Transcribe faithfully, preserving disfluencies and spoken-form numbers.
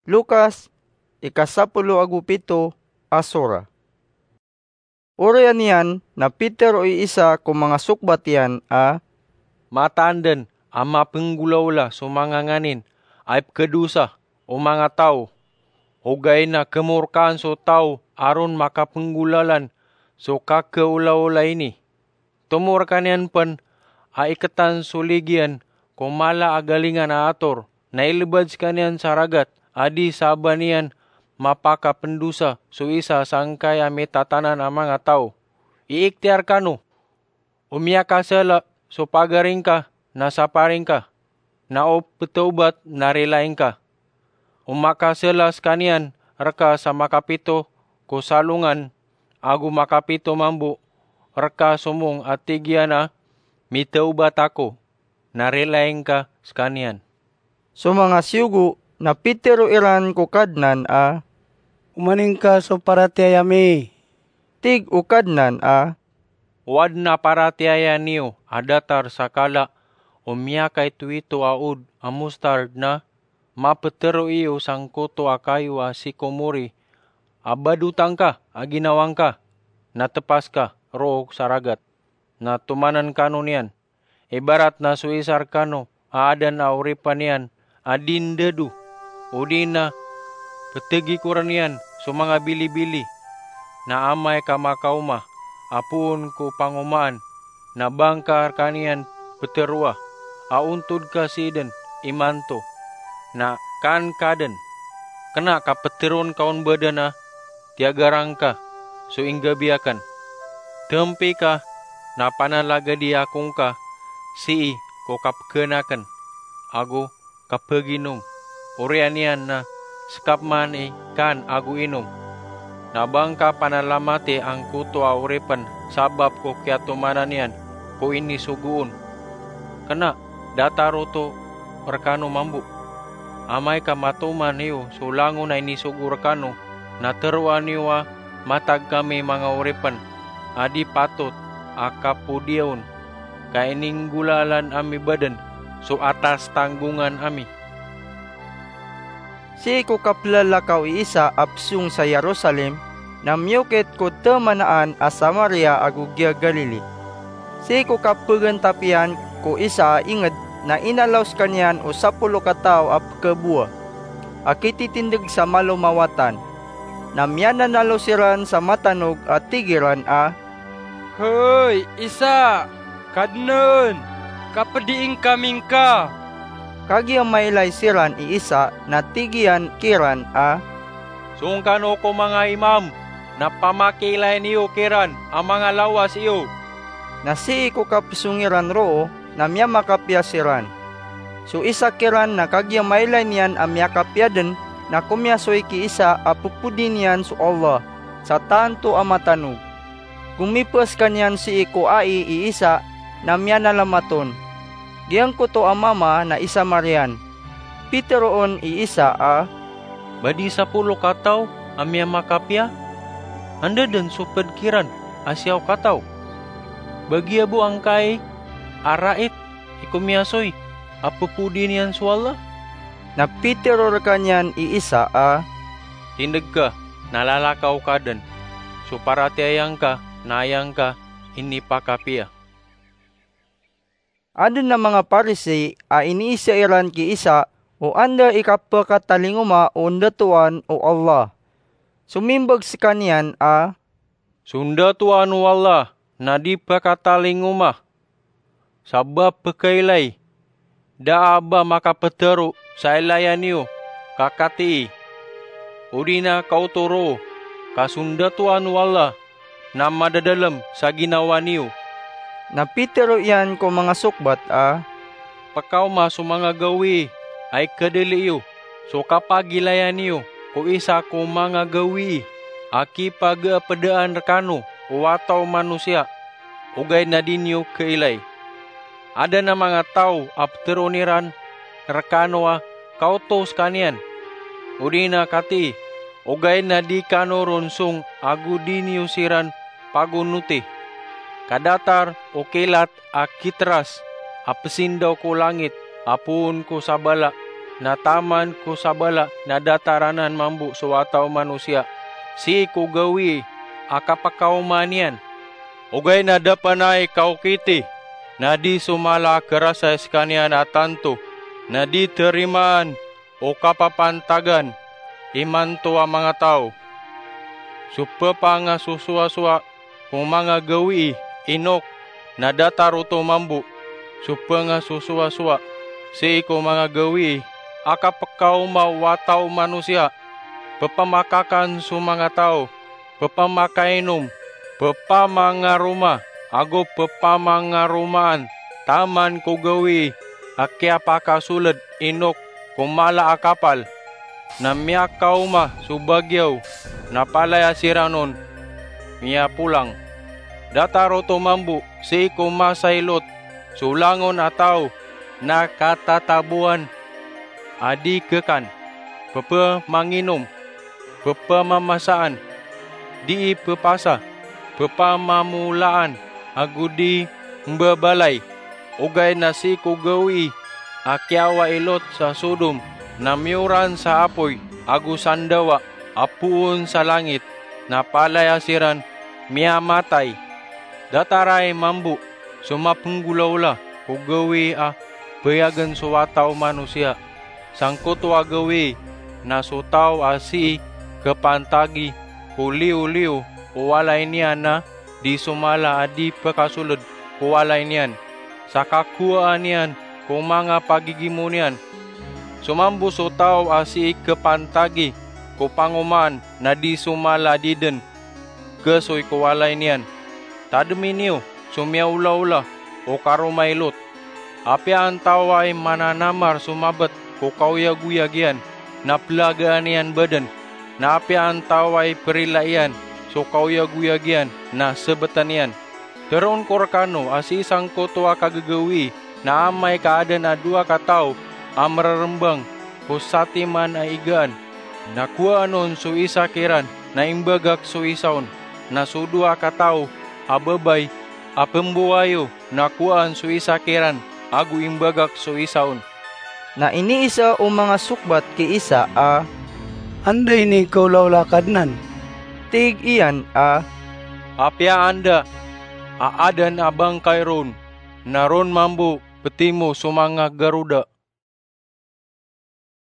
Lukas, ika sapolo ago pito a sura. Oriyan iyan na pitero i isa ko manga sokbat iyan a, "Mataan den a mapenggolaola so manga nganin a ipkhadosa o manga taw, ogaid na khemorkaan so taw a ron makapenggolalan so kakhaolaola ini. Tomo rekaniyan pen a iketan so ligi iyan ko mala a galingan a ator, na ilebad sekaniyan sa ragat a di sa ba niyan mapakapendosa so isa sangkai a mitatanan a manga taw. Iiktiyar kano o miyakasala so pagari ngka na sapari ngka, na o petawbat na rilai ngka. O makasala sekaniyan reka sa makapito ko salongan ago makapito mambo reka somong a tig iyan a, 'Mitawbat ako,' na rilai ngka sekaniyan." So manga siyogo na pitero iran ko Kadnan a, "Omaning ka so paratiyaya mi." Tig o Kadnan a, "O aden a paratiyaya niyo a datar sa kala o miyakaitowito a od a mostard na mapetero iyo sangkoto a kayo a sikomori a badota ngka a ginawa ngka, na tepas ka roo sa ragat, na tomanan kano niyan. Ibarat na so isa rekano a aden a oripen iyan a di ndado, odi na petegikoren iyan so manga bilibili, na amay ka makaoma a poon ko pangomaan, na ba ngka rekaniyan peteroa a ontod ka sii den imanto, na kaan ka den, 'Kena ka peteroon ka on baden a tiyagaran ka so inggabi aken. Tempi ka na panalagadi ako ngka sii ko kapeganaken ago kapeginom.' Oriyan iyan na sekap man i kaan ago inom, na ba ngka panalamati angkoto a oripen sabap ko kiyatomanan iyan ko inisogo on. Kena, datar oto rekano mambo. Amay ka matoman iyo so langon a inisogo rekano, na teroa niyo a matag kami manga oripen a di patot a kapodiyaon, ka ininggolalan ami baden so atas tanggongan ami." Sii ko kapelalakaw i Isa a pesong sa Jerusalem, na miyokit ko temanaan a Samaria ago giya Galili. Sii ko kapegentap iyan ko isa a inged, na inalaw sekaniyan o sapolo kataw a pekabowa a kititindeg sa malom a watan. Na miyananalo siran sa matanog a tig iran a, "Hay Isa, Kadnan, kapedii ngkami ngka." Kagiya mailay siran i Isa na tig iyan kiran a, "Song kano ko manga imam na pamakiilayin iyo kiran a manga lawas iyo." Na sii ko kapesong iran roo na miyamakapiya siran. So isa kiran na kagiya mailay niyan a miyakapiya den na komiyasoy ki Isa a pepodi niyan so Allah sa tanto a matanog. Komipa sekaniyan sii ko ai i Isa na miyanalamat on. Giyangkoto a mama na i Samarian. Pitero on i Isa a, "Ba di sapolo kataw a miyamakapiya? Anda den so ped kiran a siyaw kataw? Ba giya bo angkai a rait i komiyasoy a pepodi niyan so Allah?" Na pitero rekaniyan i Isa a, "Tindeg ka, na lalakaw ka den. So paratiyaya ngka na aya ngka inipakapiya." Aden a manga Parisi a iniisa iran ki Isa o anda i kapakatalingoma o ndatoan o Allah. Somimbag sekaniyan a, "So ndatoan o Allah na di pakatalingoma. Sabap pekailay, da a ba makapetero sa ilayan iyo ka katii, odi na kaoto roo ka so ndatoan o Allah na madadalem sa ginawa niyo." Na pitero iyan ko manga sokbat a, "Pekaoma so manga gawii a ikadali iyo so kapagilayan iyo ko isa ko manga gawii a kipageepedaan rekano o wata o manosiya, ogaid na di niyo kailay. Aden a manga taw a peteroon iran rekano a kaoto sekaniyan, odi na katii, ogaid na di kano ron song ago di niyo siran pagonoti. Ka datar o kilat a kiteras a pesindaw ko langit a poon ko sabala, na taman ko sabala na datar anan mambo so wata o manosiya, sii ko gawii a kapakaoma niyan. Ogaid na da pn ai kaokiti, na di so mala a kharas a skaniyan a tanto, na di tarimaan o kapapantagan imanto a manga taw. So ppangasosowasowa ko manga gawii inok na datar oto mambo so pngasosowasowa sii ko manga gawii a kapkaoma o wata o manosiya, pphamakakan so manga taw, pphamakainom, pphamangaroma ago pphamangaromaan taman ko gawii a kiyapakasold inok ko mala a kapal. Na miyakaoma so bagiyaw, na palaya siran on miyapolang. Datar oto mambo sii ko masa i Lot so langon a taw na katataboan a di khakan, pphamanginom, pphamamasaa, dii pphasa, pphamamoolaan ago di mbabalay. Ogaid na sii ko gawii a kiyawa i Lot sa Sodom na miyoran sa apoy ago sandawa a poon sa langit, na palaya siran miyamatay. Datar ai mambo so mapnggolaola ko gawii a bayagen so wata o manosiya sangkoto a gawii, na so taw a sii khapantagi ko liyoliyo o walay niyan na di so mala a di pkasold ko walay niyan sa kakowaan iyan ko manga pagigimo niyan. So mambo so taw a sii khapantagi ko pangomaan na di so mala a di dn khasoy ko walay niyan. Tadmi niyo so miyaolaola o karoma i Lot. Apiya antaa i mananamar so mabt ko kaoyagoyag iyan na plagaan iyan badn, na apiya antaa i prila iyan so kaoyagoyag iyan na sbtn iyan. Tharoon ko rkano a sii sangkoto a kagagawii na amay ka adn a dowa kataw a mrrmbang ko satiman a igaan, na kowaan on so isa kiran na imbagak so isa on, na so dowa kataw a babay a pmbowai o na kowaan so isa kiran ago imbagak so isa on. Na iniisa o manga sokbat ki Isa a, "Anda ini kaolaola, Kadnan?" Tig iyan a, "Apiya anda a adn a bangkay ron, na ron mambo ptimo so manga garoda."